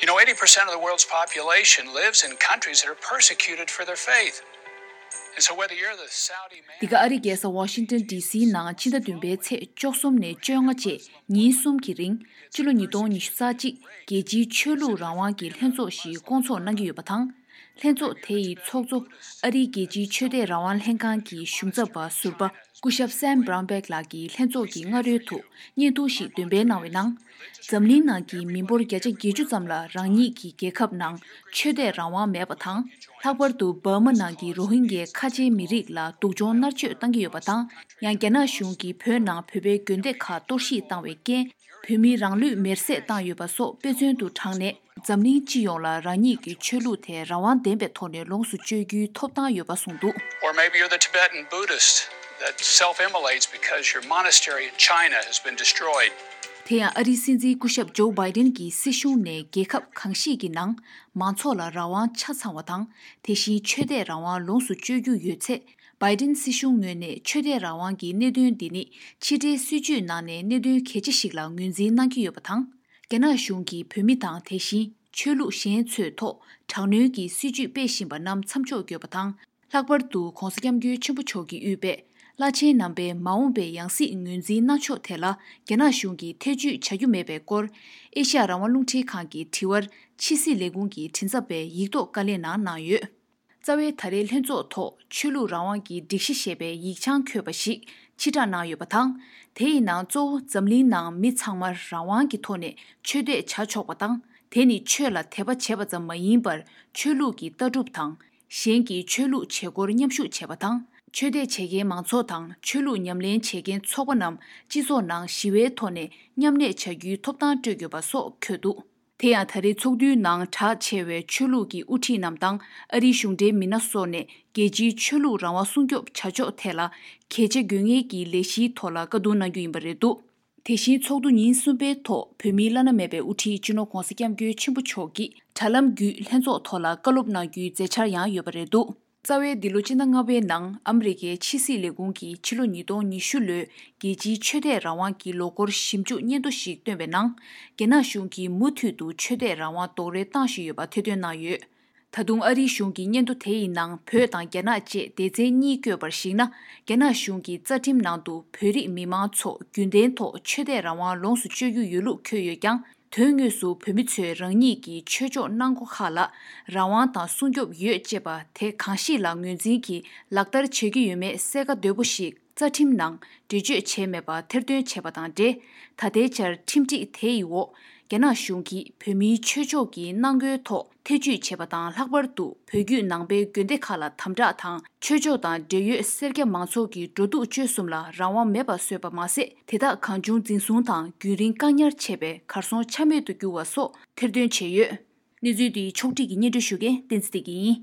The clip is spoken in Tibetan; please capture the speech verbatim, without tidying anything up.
You know, eighty percent of the world's population lives in countries that are persecuted for their faith. And so whether you're the Saudi man འདི་ག་ཨ་རིའི་རྒྱལ་ས་ཝ་ཤིང་ཏོན་ཌི་སིའི་ནང་ཕྱི་ཟླ་བདུན་པའི་ཚེས་བཅུ་གསུམ་ནས་བཅོ་ལྔ་བཅས་ཉིན་གསུམ་གྱི་རིང་སྤྱི་ལོ་ཉིས་སྟོང་ཉི་ཤུ་རྩ་གཅིག་རྒྱལ་སྤྱིའི་ཆོས་ལུགས་རང་དབང་གི་ལྷན་ཚོགས་ཤིག་བསྐོང་ཚོགས་གནང་གི་ཡོད་པ་དང་། ལྷན་ཚོགས་དེ་ཡི་ཚོགས་གཙོ་ཨ་རིའི་རྒྱལ་སྤྱིའི་ཆོས་དད་རང་དབང་ལྷན་ཁང་གི་གཞུང་ཚབ་པ་ཟུར་པ་སྐུ་ཞབས་སེམ་བྷ་རའུན་བྷེག་ལགས་ཀྱིས་ལྷན་ཚོགས་ཀྱི་སྔ་རོལ་དུ་བརྙན་ཐུང་ཞིག་འདོན་སྤེལ་གནང་བའི་ནང་། འཛམ་གླིང་ནང་གི་མི་འབོར་བརྒྱ་ཆ་བརྒྱད་ཅུ་ཙམ་ལ་རང་ཉིད་ཀྱི་རྒྱལ་ཁབ་ནང་ཆོས་དད་རང་དབང་མེད་པ་དང་། ལྷག་པར་དུ་འབར་མ་ནང་གི་རོ་ཧིན་གྱའི་ཁ་ཆེའི་མི་རིགས་ལ་སྡུག་སྦྱོང་མནར་གཅོད་བཏང་གི་ཡོད་པ་དང་། ཡང་རྒྱ་ནག་གཞུང་གིས་བོད་ནང་བོད་པའི་དགོན་སྡེ་ཁག་གཏོར་བཤིག་བཏང་བའི་རྐྱེན། བོད་མི་རང་ལུས་མེར་སྲེག་བཏང་ཡོད་པ་སོགས་དཔེ་མཚོན་དུ་དྲངས་ནས། འཛམ་གླིང་སྤྱི་ཡོངས་ལ་རང་ཉིད་ཀྱི་ཆོས་ལུགས་དེ་རང་དབང་ལྡན་པའི་ཐོག་ནས་ལོངས་སུ་སྤྱོད་རྒྱུའི་ཐོབ་ཐང་ཡོད་པ་གསུངས་འདུག། Or maybe you're the Tibetan Buddhist that self immolates because your monastery in China has been destroyed. དེ་ཡང་ཨ་རིའི་སྲིད་འཛིན་སྐུ་ཞབས་ཇོ་བྷའི་ཌེན་གྱི་སྲིད་གཞུང་ནས་རྒྱལ་ཁབ་གང་ཞིག་གི་ནང་མང་ཚོགས་ལ་རང་དབང་ཆ་ཚང་བ་དང་། དེ་བཞིན་ཆོས་དད་རང་དབང་ལོངས་སུ་སྤྱོད་རྒྱུ་ཡོད་ཚེ། བྷའི་ཌེན་སྲིད་གཞུང་ངོས་ནས་ཆོས་དད་རང་དབང་གི་གནད་དོན་འདི་ནི་ཕྱི་འབྲེལ་སྲིད་ཇུས་ནང་ནས་གནད་དོན་གལ་ཆེ་ཞིག་ལ་ངོས་འཛིན་གནང་གི་ཡོད་པ་དང་། རྒྱ་ནག་གཞུང་གིས་བོད་མི་དང་དེ་བཞིན་ཆོས་ལུགས་གཞན་ཚོའི་ཐོག་དྲག་གནོན་གྱི་སྲིད་ཇུས་སྤེལ་བཞིན་པ་རྣམས་མཚམས་འཇོག་དགོས་པ་དང་། ལྷག་པར་དུ་༧གོང་ས་༧སྐྱབས་མགོན་ཆེན་པོ་མཆོག་གིས་དབུས་པའི་བླ་ཆེན་རྣམ་པའི་མ་འོངས་པའི་ཡང་སྲིད་ངོས་འཛིན་གནང་ཕྱོགས་ཐད་ལ་རྒྱ་ནག་གཞུང་གིས་ཐེ་བྱུས་བྱ་རྒྱུ་མེད་པའི་སྐོར། ཨེ་ཤ་ཡ་རང་དབང་རླུང་འཕྲིན་ཁང་གི་དྲི་བར་ཕྱི་སྲིད་ལས་ཁུངས་ཀྱི་མགྲིན་ཚབ་པས་ཡིག་ཐོག་བཀའ་ལན་ནང་གནང་ཡོད། རྩ་བའི་ད་རེས་ལྷན་ཚོགས་ཐོག་ཆོས་ལུགས་རང་དབང་གི་སྒྲིག་གཞི་ཞེས་པའི་ཡིག་བྱང་འཁོད་པ་ཞིག་ཕྱིར་བསྒྲགས་གནང་ཡོད་པ་དང་། དེ་ཡི་ནང་གཙོ་བོ་འཛམ་གླིང་ནང་མི་ཚང་མར་རང་དབང་གི་ཐོག་ནས་ཆོས་དད་བྱ་ཆོག་པ་དང་། དེ་ནི་ཆོས་ལ་དད་པ་བྱེད་པ་ཙམ་མ་ཡིན་པར་ཆོས་ལུགས་ཀྱི་ལྟ་གྲུབ་དང་། གཞན་གྱི་ཆོས་ལུགས་བྱེད་སྒོར་མཉམ་ཞུགས་བྱེད་པ་དང་། ཆོས་དད་བྱེད་མཁན་མང་ཚོགས་དང་ཆོས་ལུགས་ཉམས་ལེན་བྱེད་མཁན་ཚོགས་པ་རྣམས་སྤྱི་ཚོགས་ནང་ཞི་བའི་ཐོག་ནས་མཉམ་གནས་བྱ་རྒྱུའི་ཐོབ་ཐང་སྤྲོད་དགོས་པ་སོགས་འཁོད་འདུག། དེ་ཡང་ད་རེས་ཚོགས་འདུའི་ནང་གྲགས་ཆེ་བའི་ཆོས་ལུགས་ཀྱི་དབུ་ཁྲིད་རྣམས་དང་ཨ་རིའི་གཞུང་འབྲེལ་མི་སྣ་སོགས་ནས་རྒྱལ་སྤྱིའི་ཆོས་ལུགས་རང་དབང་སྲུང་སྐྱོབ་བྱ་ཕྱོགས་ཐད་ལ་གལ་ཆེ་དགོས་ངེས་ཀྱི་ལས་གཞིའི་ཐོག་ལ་བཀའ་བསྡུར་གནང་རྒྱུ་ཡིན་པ་རེད་འདུག། དེ་བཞིན་ཚོགས་འདུ་ཉིན་གསུམ་པའི་ཐོག་བོད་མིའི་བླ་ན་མེད་པའི་དབུ་ཁྲིད་སྤྱི་ནོར་༧གོང་ས་༧སྐྱབས་མགོན་ཆེན་པོ་མཆོག་གིས་དྲ་ལམ་བརྒྱུད་ལྷན་ཚོགས་ཐོག་ལ་བཀའ་སློབ་གནང་རྒྱུའི་མཛད་འཆར་ཡང་ཡོད་པ་རེད་འདུག། རྩ་བའི་འདི་ལོ་སྤྱི་ཟླ་ལྔ་པའི་ནང་ཨ་མི་རི་ཀའི་ཕྱི་སྲིད་ལས་ཁུངས་ཀྱིས་ཕྱི་ལོ་ཉིས་སྟོང་ཉི་ཤུ་ལོའི་རྒྱལ་སྤྱིའི་ཆོས་དད་རང་དབང་གི་ལོ་འཁོར་ཞིབ་འཇུག་སྙན་ཐོ་ཞིག་བཏོན་པའི་ནང་། རྒྱ་ནག་གཞུང་གིས་མུ་མཐུད་དུ་ཆོས་དད་རང་དབང་རྡོག་རོལ་བཏང་བཞིན་ཡོད་པ་ཐེར་འདོན་གནང་ཡོད། ད་དུང་ཨ་རིའི་གཞུང་གི་སྙན་ཐོ་དེ་ཡི་ནང་བོད་དང་རྒྱ་ནག་བཅས་སྡེ་ཚན་གཉིས་བཀོད་པར་གཞིགས་ན། རྒྱ་ནག་གཞུང་གི་རྩ་ཁྲིམས་ནང་དུ་བོད་རིགས་མི་མང་ཚོ་རྒྱུན་ལྡན་ཐོག་ཆོས་དད་རང་དབང་ལོངས་སུ་སྤྱོད་རྒྱུ་ཡོད་ལུགས་འཁོད་ཡོད་ཀྱང་། དོན་དངོས་སུ་བོད་མི་ཚོས་རང་ཉིད་ཀྱི་ཆོས་ཕྱོགས་གནང་སྒོ་ཁག་ལ་རང་དབང་དང་སྲུང་སྐྱོབ་ཡོད་ཅེས་པ་དེ་གང་ཞིག་ལ་ངོས་འཛིན་གྱིས་ལག་བསྟར་བྱེད་ཀྱི་ཡོད་མེད་གསལ་ཁ་དོད་པོ་ཞིག་རྩ་ཁྲིམས་ནང་འགྲེལ་བརྗོད་བྱས་མེད་པ་ཐེར་འདོན་བྱས་པ་དང་འབྲེལ། ད་ལྟའི་ཆར་ཁྲིམས་སྒྲིག་དེ་ཡི་འོག་རྒྱ་ནག་གཞུང་གིས་བོད་མིའི་ཆོས་ཕྱོགས་ཀྱི་གནང་སྒོའི་ཐོག་ཐེ་བྱུས་བྱས་པ་དང་། ལྷག་པར་དུ་བོད་བརྒྱུད་ནང་པའི་དགོན་སྡེ་ཁག་ལ་དམ་དྲག་དང་། ཆོས་ཕྱོགས་དང་འབྲེལ་ཡོད་སེར་སྐྱ་མང་ཚོགས་ཀྱི་འགྲོ་འདུག་སྤྱོད་གསུམ་ལ་རང་དབང་མེད་པར་བཟོས་པ་མ་ཟད། དེ་དག་གང་བྱུང་འཛིན་བཟུང་དང་རྒྱུན་རིང་བཀག་ཉར་བྱས་པས་གར་སོང་ཆ་མེད་དུ་གྱུར་བ་སོགས་ཐེར་འདོན་བྱས་ཡོད། གནས་ཚུལ་འདི་ཕྱོགས་སྒྲིག་གིས་སྙན་སྒྲོན་ཞུ་མཁན་བསྟན་འཛིན་བདེ་སྐྱིད་ཡིན།